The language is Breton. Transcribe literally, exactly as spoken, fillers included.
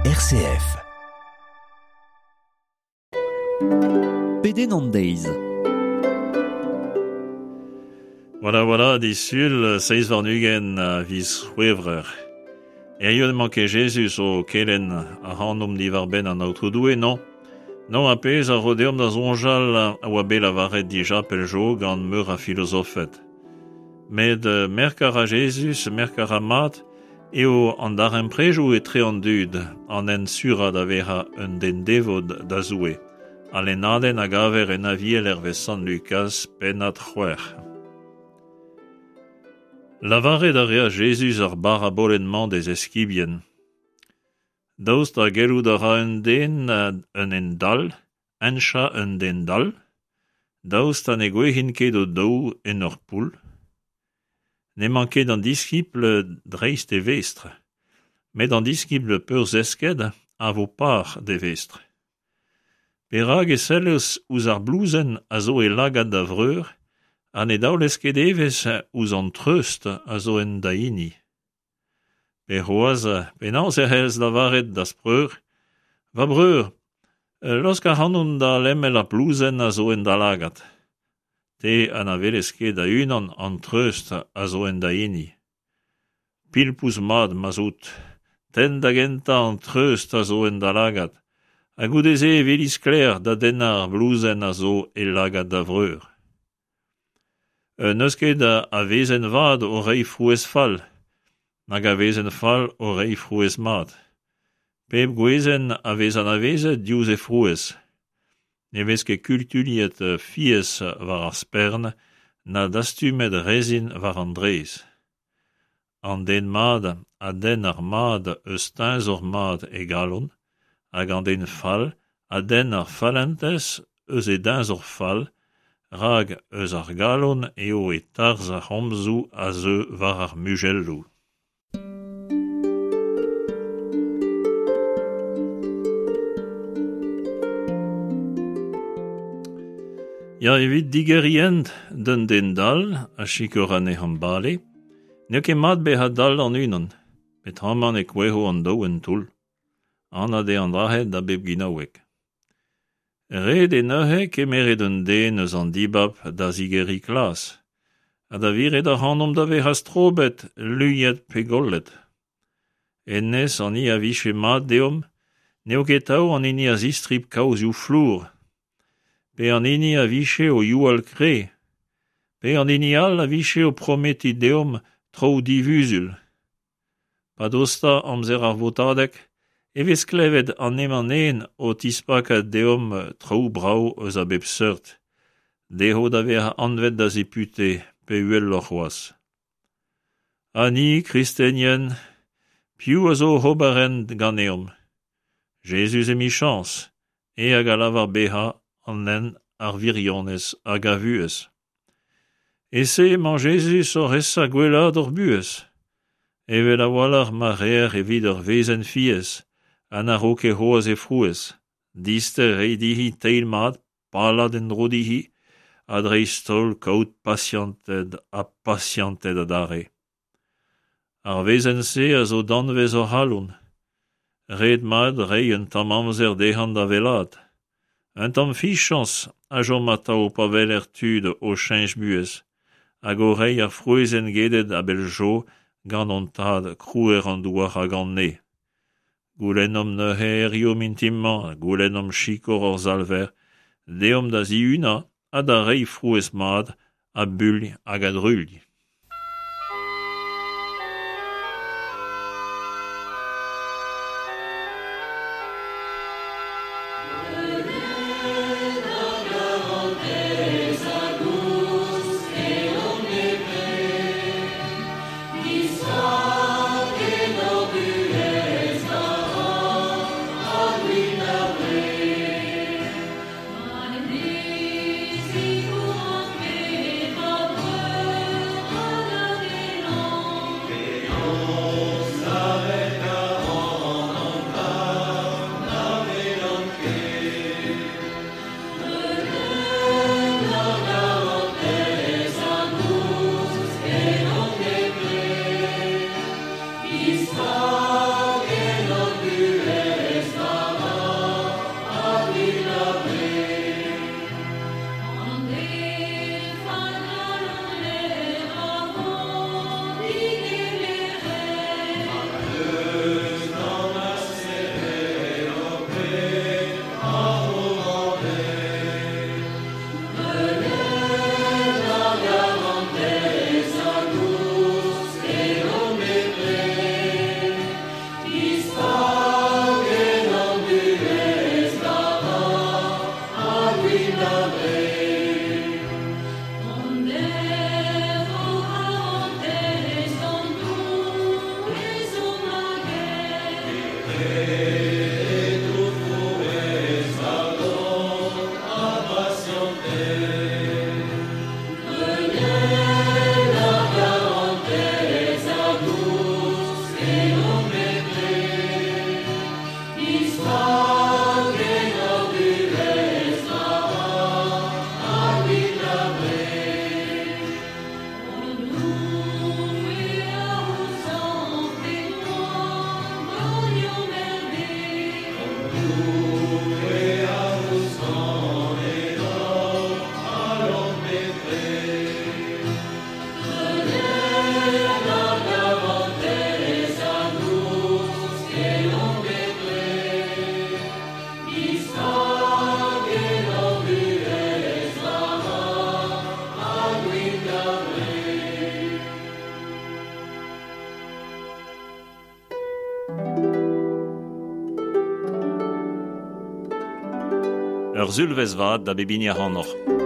R C F. Pedenn an deiz. Voilà, voilà, disul, seizh warn-ugent a viz C'hwevrer. Hiziv emañ ket Jezuz o kelenn ac'hanomp diwar-benn an Aotrou Doue, non. Non, ar pezh a ro deomp da soñjal a oa bet lavaret dija pell zo gant meur a filozofed. Met merk a ra Jezuz, merk a ra mat, eo an darempredoù etre an dud an hent surañ da vezañ un den devot da Zoue. Al lennadenn a gaver en Aviel hervez Sant Lukaz, pennad c'hwec'h. Lavaret a reas Jezuz ar barabolenn-mañ d'e zeskibien. Daoust ha gellout a ra un den un hent dall, henchañ un den dall? Daoust ha ne gouezhint ket o-daou en ur poull? N'emañ ket an diskibl dreist e vestr, met an diskibl peurzesket a vo par d'e vestr. Perak e sellez ouzh ar blouzenn a zo e lagad da vreur ha ne daolez ket evezh ouzh an treust a zo en da hini? Pe c'hoazh, penaos e c'hellez lavaret da'z preur, va breur, laosk ac'hanon da lemel ar blouzenn a zo en da lagad. Te ha na welez ket da-unan an treust a zo en da hini. Pilpouz mat ma'z out, tenn da gentañ an treust a zo en da lagad, ha goude-se e weli sklaer da dennañ ar blouzenn a zo e lagad da vreur. N'eus ket a wezenn vat o reiñ frouezh fall, nag a wezenn fall o reiñ frouezh mat. Pep gwezenn a vez anavezet diouzh he frouezh. Ne vez ket kutuilhet fiez war ar spern na dastumet rezin war an drez. An den mat a denn ar mad eus teñzor mat e galon, hag an den fall a denn ar fallentez eus e deñzor fall, rak eus ar galon eo e tarzh ar c'homzoù a zeu war ar muzelloù. Ya, evit digeriñ hent d'un den dall a sikour anezhañ bale, n'eo ket mat bezañ dall an-unan, peotramant e kouezho an daou en toull. Anat eo an dra-se da bep ginaoueg. Ret eo neuze kemeret un den eus an dibab da zigeriñ klas, ha da viret ac'hanomp da vezañ strobet, luniet pe gollet. Hennezh an hini a vije mat deomp, n'eo ket atav an hini a zistrip kaozioù flour, pe an hini a vije o youal kre, pe an hini all a vije o prometiñ deomp traoù divuzul. Pa dosta amzer ar votadeg, e vez klevet an hemañ-nen o tispakañ deomp traoù brav eus a bep seurt, dezho da vezañ anvet da zepute pe uheloc'h c'hoazh. Ha ni, kristenien, piv a zo oc'h ober hent ganeomp? Jezuz emichañs, eñ hag a lavar bezañ an hent, ar wirionez hag ar vuhez. E-se emañ Jezuz oc'h esa gwellaat hor buhez. Evel a-walc'h ma reer evit ur wezenn fiez, ha na ro ket c'hoazh he frouezh. Dister reiñ dezhi teil mat, palat en-dro dezhi, ha dreist-holl kaout pasianted ha pasianted adarre. Ar wezenn-se a zo danvez hor c'halon. Ret mat reiñ un tamm amzer dezhañ da wellaat. Un tamm fiziañs a chom atav pa weler tud o cheñch buhez, hag o reiñ ar frouezhenn gedet a-bell zo gant hon tad krouer an douar hag an neñv. Goulennomp neuze hiziv mintin-mañ, goulennomp sikour hor Salver, deomp da zihunañ ha da reiñ frouezh mat a builh hag a druilh. Amen. Ur sulvezh vat da bep hini ac'hanoc'h.